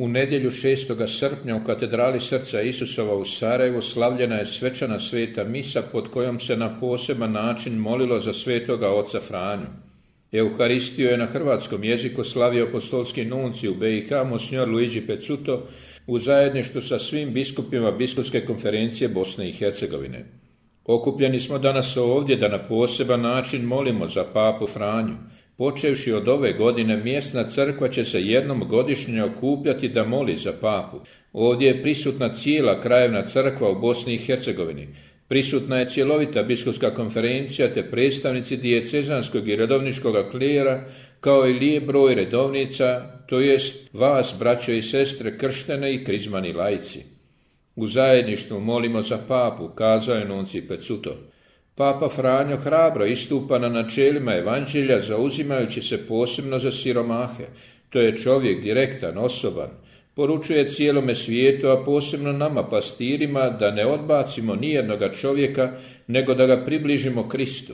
U nedjelju 6. srpnja u katedrali Srca Isusova u Sarajevu slavljena je svečana sveta misa pod kojom se na poseban način molilo za svetoga oca Franju. Euharistiju je na hrvatskom jeziku slavio apostolski nuncij u BiH monsignor Luigi Pezzuto u zajedništvu sa svim biskupima Biskupske konferencije Bosne i Hercegovine. Okupljeni smo danas ovdje da na poseban način molimo za papu Franju. Počevši od ove godine, mjesna crkva će se jednom godišnje okupljati da moli za papu. Ovdje je prisutna cijela krajevna crkva u Bosni i Hercegovini. Prisutna je cjelovita biskupska konferencija te predstavnici dijecezanskog i redovničkog klijera, kao i lijep broj redovnica, to jest vas, braćo i sestre, krštene i krizmani laici. U zajedništvu molimo za papu, kazao je nuncij Pezzuto. Papa Franjo hrabro istupa na načelima evanđelja, zauzimajući se posebno za siromahe. To je čovjek direktan, osoban. Poručuje cijelome svijetu, a posebno nama pastirima, da ne odbacimo nijednoga čovjeka, nego da ga približimo Kristu.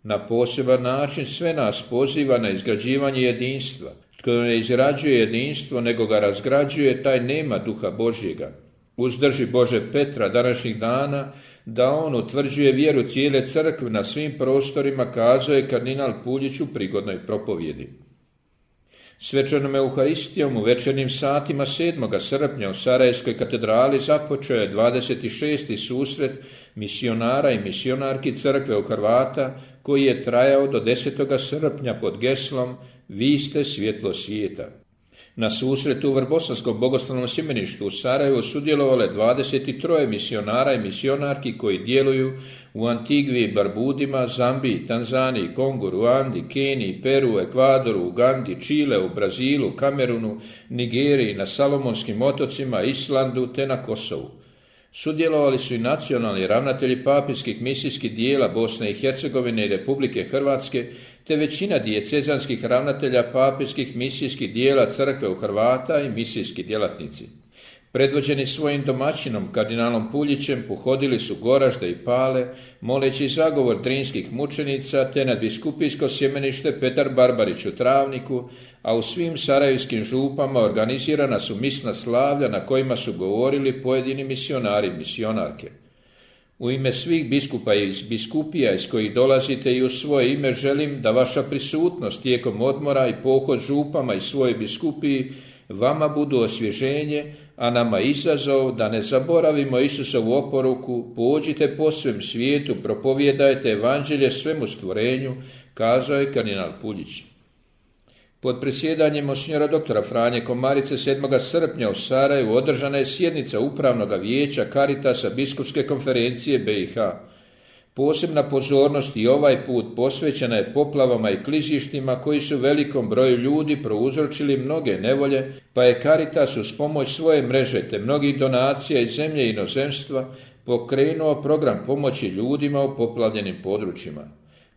Na poseban način sve nas poziva na izgrađivanje jedinstva. Tko ne izrađuje jedinstvo, nego ga razgrađuje, taj nema duha Božjega. Uzdrži Bože Petra današnjih dana da on utvrđuje vjeru cijele crkve na svim prostorima, kazao je kardinal Puljić u prigodnoj propovjedi. Svečanom Euharistijom u večernjim satima 7. srpnja u Sarajevskoj katedrali započeo je 26. susret misionara i misionarki crkve u Hrvata, koji je trajao do 10. srpnja pod geslom Vi ste svjetlo svijeta. Na susretu u Vrbosanskom bogoslovnom sjemeništu u Sarajevu sudjelovalo je 23 misionara i misionarki koji djeluju u Antigvi i Barbudima, Zambiji, Tanzaniji, Kongu, Ruandi, Keniji, Peru, Ekvadoru, Ugandi, Čile, u Brazilu, Kamerunu, Nigeriji, na Salomonskim otocima, Islandu te na Kosovu. Sudjelovali su i nacionalni ravnatelji papinskih misijskih dijela Bosne i Hercegovine i Republike Hrvatske, te većina dijecezanskih ravnatelja papinskih misijskih dijela crkve u Hrvata i misijski djelatnici. Predvođeni svojim domaćinom, kardinalom Puljićem, pohodili su Goražde i Pale, moleći zagovor drinskih mučenica, te nadbiskupijsko sjemenište Petar Barbarić u Travniku, a u svim sarajevskim župama organizirana su misna slavlja na kojima su govorili pojedini misionari i misionarke. U ime svih biskupa i biskupija iz kojih dolazite i u svoje ime želim da vaša prisutnost tijekom odmora i pohod župama i svoje biskupiji vama budu osvježenje, a nama izazov da ne zaboravimo Isusovu oporuku, pođite po svem svijetu, propovijedajte evanđelje svemu stvorenju, kazao je kardinal Puljić. Pod presjedanjem monsignora doktora Franje Komarice 7. srpnja u Sarajevu održana je sjednica Upravnog vijeća Caritasa Biskupske konferencije BiH. Posebna pozornost i ovaj put posvećena je poplavama i klizištima koji su velikom broju ljudi prouzročili mnoge nevolje, pa je Caritas uz pomoć svoje mreže te mnogih donacija iz zemlje i inozemstva pokrenuo program pomoći ljudima u poplavljenim područjima.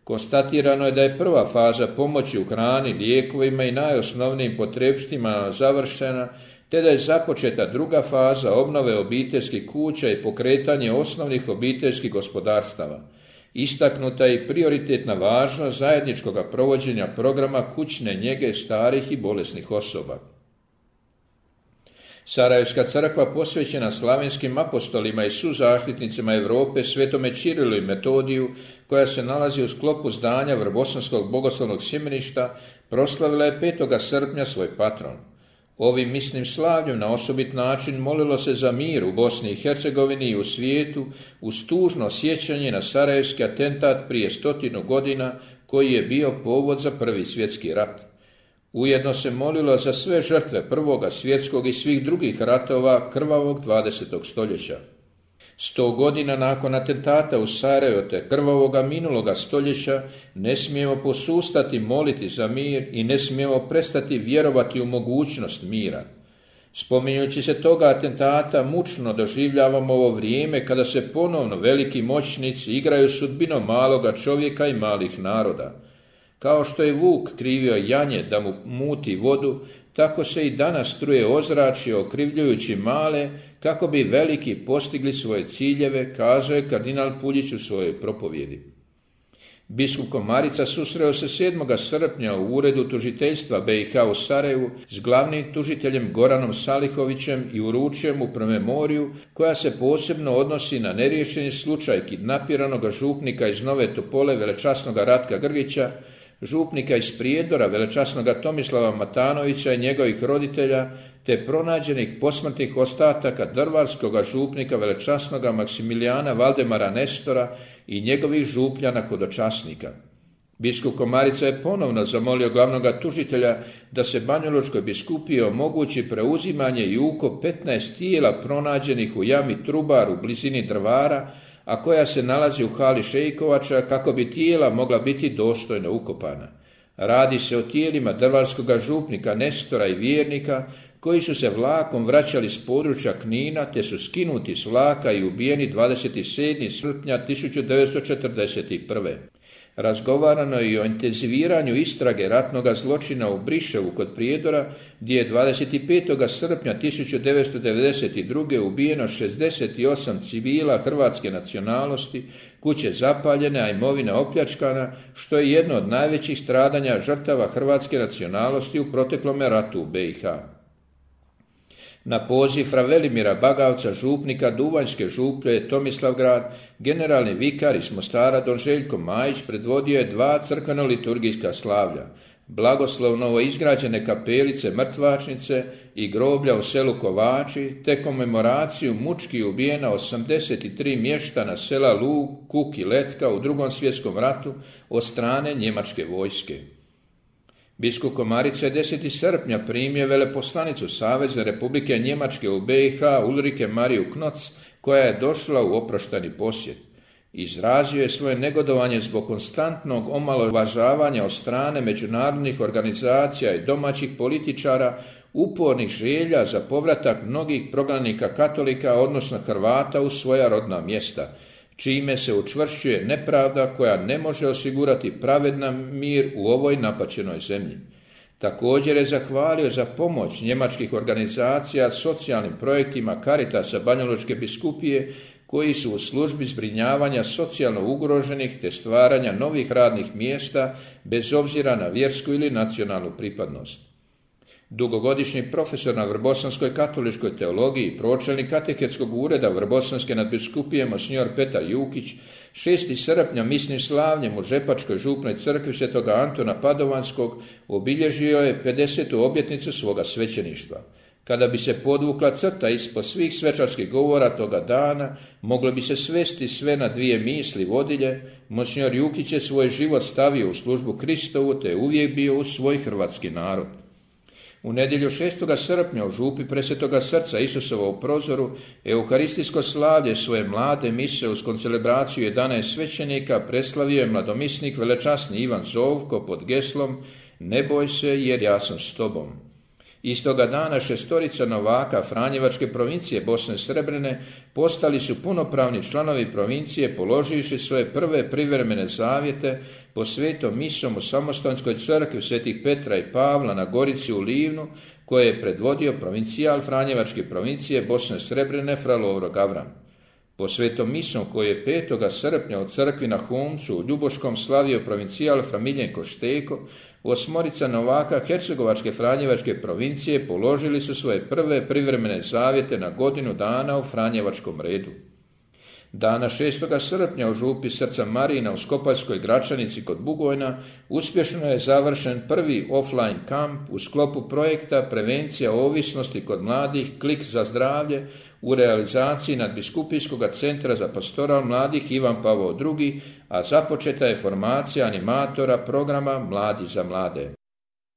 Konstatirano je da je prva faza pomoći u hrani, lijekovima i najosnovnijim potrepštinama završena, te da je započeta druga faza obnove obiteljskih kuća i pokretanje osnovnih obiteljskih gospodarstava. Istaknuta je i prioritetna važnost zajedničkog provođenja programa kućne njege starih i bolesnih osoba. Sarajevska crkva posvećena slavenskim apostolima i suzaštitnicima Europe Svetome Čirilu i Metodiju, koja se nalazi u sklopu zdanja Vrbosanskog bogoslovnog sjemeništa, proslavila je 5. srpnja svoj patron. Ovim misnim slavljem na osobit način molilo se za mir u Bosni i Hercegovini i u svijetu uz tužno sjećanje na sarajevski atentat prije 100 godina koji je bio povod za Prvi svjetski rat. Ujedno se molilo za sve žrtve Prvog svjetskog i svih drugih ratova krvavog 20. stoljeća. 100 godina nakon atentata u Sarajevu te krvavoga minuloga stoljeća ne smijemo posustati moliti za mir i ne smijemo prestati vjerovati u mogućnost mira. Spominjući se toga atentata, mučno doživljavamo ovo vrijeme kada se ponovno veliki moćnici igraju sudbinom maloga čovjeka i malih naroda. Kao što je vuk krivio janje da mu muti vodu, tako se i danas truje ozračje okrivljujući male kako bi veliki postigli svoje ciljeve, kazao je kardinal Puljić u svojoj propovjedi. Biskup Komarica susreo se 7. srpnja u uredu tužiteljstva BiH u Sarajevu s glavnim tužiteljem Goranom Salihovićem i uručio mu promemoriju koja se posebno odnosi na neriješeni slučaj kidnapiranog župnika iz Nove Topole velečasnog Ratka Grgića, župnika iz Prijedora velečasnog Tomislava Matanovića i njegovih roditelja, te pronađenih posmrtnih ostataka drvarskog župnika velečasnog Maksimilijana Valdemara Nestora i njegovih župljana hodočasnika. Biskup Komarica je ponovno zamolio glavnog tužitelja da se Banjalučkoj biskupiji omogući preuzimanje i ukop 15 tijela pronađenih u jami Trubar u blizini Drvara, a koja se nalazi u hali Šejkovača, kako bi tijela mogla biti dostojno ukopana. Radi se o tijelima drvarskog župnika Nestora i vjernika koji su se vlakom vraćali s područja Knina te su skinuti s vlaka i ubijeni 27. srpnja 1941. Razgovarano je i o intenziviranju istrage ratnog zločina u Briševu kod Prijedora, gdje je 25. srpnja 1992. ubijeno 68 civila hrvatske nacionalnosti, kuće zapaljene, a imovina opljačkana, što je jedno od najvećih stradanja žrtava hrvatske nacionalnosti u proteklome ratu u BiH. Na poziv fra Velimira Bagavca, župnika Duvanjske župlje Tomislavgrad, generalni vikar iz Mostara don Željko Majić predvodio je 2 crkveno-liturgijska slavlja, blagoslov novoizgrađene kapelice Mrtvačnice i groblja u selu Kovači, te komemoraciju mučki ubijena 83 mještana sela Lug, Kuk i Letka u II. Svjetskom ratu od strane njemačke vojske. Biskup Komarica je 10. srpnja primio veleposlanicu Savezne Republike Njemačke u BiH Ulrike Mariju Knoc, koja je došla u oprošteni posjet. Izrazio je svoje negodovanje zbog konstantnog omalovažavanja od strane međunarodnih organizacija i domaćih političara, upornih želja za povratak mnogih prognanika katolika, odnosno Hrvata, u svoja rodna mjesta, čime se učvršćuje nepravda koja ne može osigurati pravedan mir u ovoj napaćenoj zemlji. Također je zahvalio za pomoć njemačkih organizacija socijalnim projektima Caritasa Banjalučke biskupije, koji su u službi zbrinjavanja socijalno ugroženih te stvaranja novih radnih mjesta bez obzira na vjersku ili nacionalnu pripadnost. Dugogodišnji profesor na Vrbosanskoj katoličkoj teologiji, pročelnik katehetskog ureda Vrbosanske nadbiskupije monsignor Petar Jukić, 6. srpnja misnim slavljem u Žepačkoj župnoj crkvi Svetoga Antona Padovanskog obilježio je 50. obljetnicu svoga svećeništva. Kada bi se podvukla crta ispod svih svečarskih govora toga dana, moglo bi se svesti sve na 2 misli vodilje. Monsignor Jukić je svoj život stavio u službu Kristovu te je uvijek bio uz svoj hrvatski narod. U nedjelju 6. srpnja u župi Presvetoga srca Isusova u Prozoru euharistijsko slavlje svoje mlade mise uz koncelebraciju 11 svećenika preslavio je mladomisnik velečasni Ivan Zovko pod geslom "Ne boj se jer ja sam s tobom". Istoga dana 6 novaka Franjevačke provincije Bosne Srebrene postali su punopravni članovi provincije položivši svoje prve privremene zavjete po svetom misom u Samostanskoj crkvi Svetih Petra i Pavla na Gorici u Livnu, koje je predvodio provincijal Franjevačke provincije Bosne Srebrene fra Lovro Gavran. Po svetom misom koji je 5. srpnja u crkvi na Humcu u Ljuboškom slavio provincijal fra Miljenko Šteko, 8 novaka Hercegovačke Franjevačke provincije položili su svoje prve privremene zavjete na godinu dana u Franjevačkom redu. Dana 6. srpnja u župi Srca Marina u Skopaljskoj Gračanici kod Bugojna uspješno je završen prvi offline kamp u sklopu projekta Prevencija ovisnosti kod mladih Klik za zdravlje u realizaciji Nadbiskupijskog centra za pastoral mladih Ivan Pavao II, a započeta je formacija animatora programa Mladi za mlade.